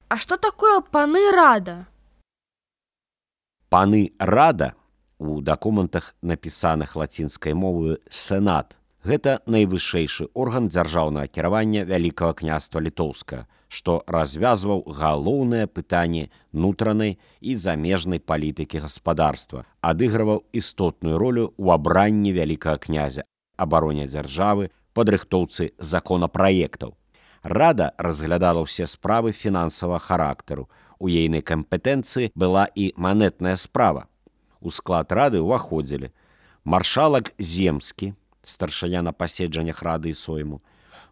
А что такое паны рада? Паны рада у дакументах, напісаных лацінскай мовою сенат, гэта найвышэйшы орган дзяржаўнага кіравання Вялікага княства Літоўскага, што развязваў галоўнае пытанне нутранай і замежнай палітыкі гаспадарства, адыгрываў істотную ролю ў абранні вялікага князя, абароне дзяржавы, падрыхтоўцы законапраектаў. Рада разглядала ўсе справы фінансавага характару. У ейнай кампетэнцыі была і манетная справа. У склад рады ўваходзілі маршалак Земскі, старшыня на паседжаннях рады і сойму,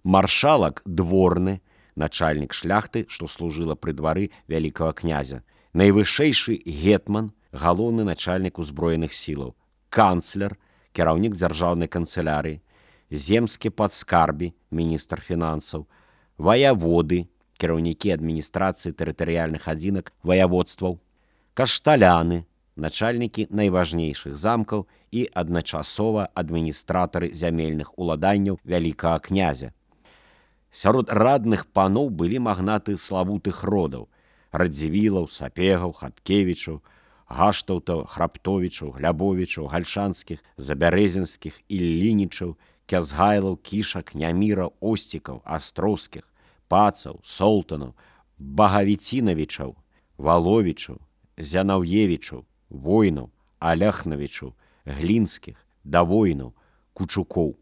маршалак Дворны, начальнік шляхты, што служыла пры двары вялікага князя, найвышэйшы гетман, галоўны начальнік узброеных сілаў, канцлер, кіраўнік дзяржаўнай канцылярыі, земскі падскарбі, міністр фінансаў, ваяводы, кіраўнікі адміністрацыі тэрытарыяльных адзінак ваяводстваў, кашталяны, начальнікі найважнейшых замкаў і адначасова адміністратары зямельных уладанняў вялікага князя. Сярод радных паноў былі магнаты славутых родаў: Радзівілаў, Сапегаў, Хаткевічаў, Гаштаўтаў, Храптовічаў, Глябовічаў, Гальшанскіх, Забярэзінскіх, Іллінічаў, Кязгайлаў, Кішак, Няміра, Осцікаў, Астроўскіх, Пацаў, Солтанаў, Багавіцінавічаў, Валовічаў, Зянаўевічаў, Войнаў, Аляхнавічаў, Глінскіх, Давойнаў, Кучукоў.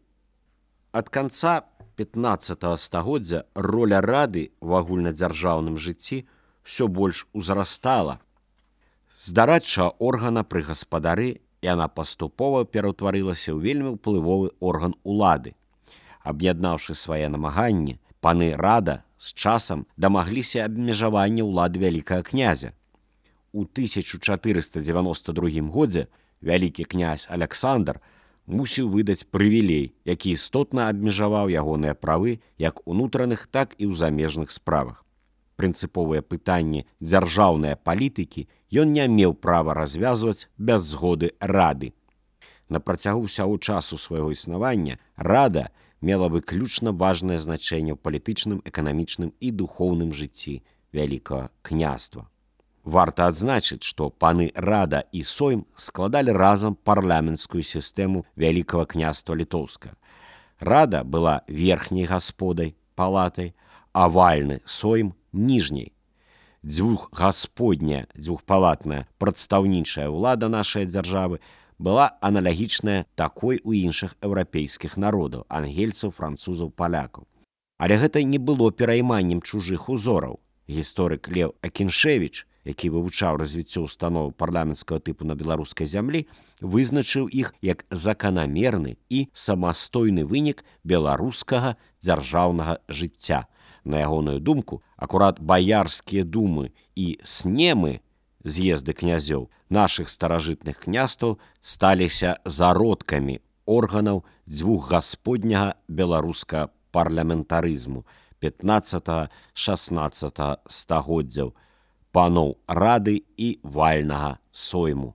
Ад канца 15 стагоддзя роля рады в агульнадзяржаўным жыцці ўсё больш узрастала. З дарадчага органа пры гаспадары яна паступова пераўтварылася ў вельмі ўплывовы орган улады. Аб'яднаўшы свае намаганні, паны рада з часам дамагліся абмежавання ўлады вялікага князя. У 1492 годзе вялікі князь Аляксандр мусіў выдаць прывілей, які істотна абмежаваў ягоныя правы як унутраных, так і ў замежных справах. Прынцыповыя пытанні дзяржаўнай палітыкі ён не меў права развязваць без згоды рады. На працягу ўсяго часу свайго існавання рада мела выключна важнае значэнне ў палітычным, эканамічным і духоўным жыцці вялікага княства. Варта адзначыць, што паны рада і сойм складалі разам парламенцкую сістэму Вялікага княства Літоўскага. Рада была верхняй гасподай, палатай, а вальны сойм ніжняй. Дзвюхгасподняя, дзвюхпалатная прадстаўнічая ўлада нашай дзяржавы была аналагічная такой у іншых еўрапейскіх народаў, ангельцаў, французаў, палякаў. Але гэта не было перайманнем чужых узораў. Гісторык Леў Акіншевіч, які вывучаў развіццё установаў парламенцкага тыпу на беларускай зямлі, вызначыў іх як заканамерны і самастойны вынік беларускага дзяржаўнага жыцця. На ягоную думку, акурат баярскія думы і снемы, з'езды князёў, нашых старажытных княстваў сталіся зародкамі органаў дзвюхгасподняга беларускага парламентарызму 15-16 стагоддзяў, паноў рады і вальнага сойму.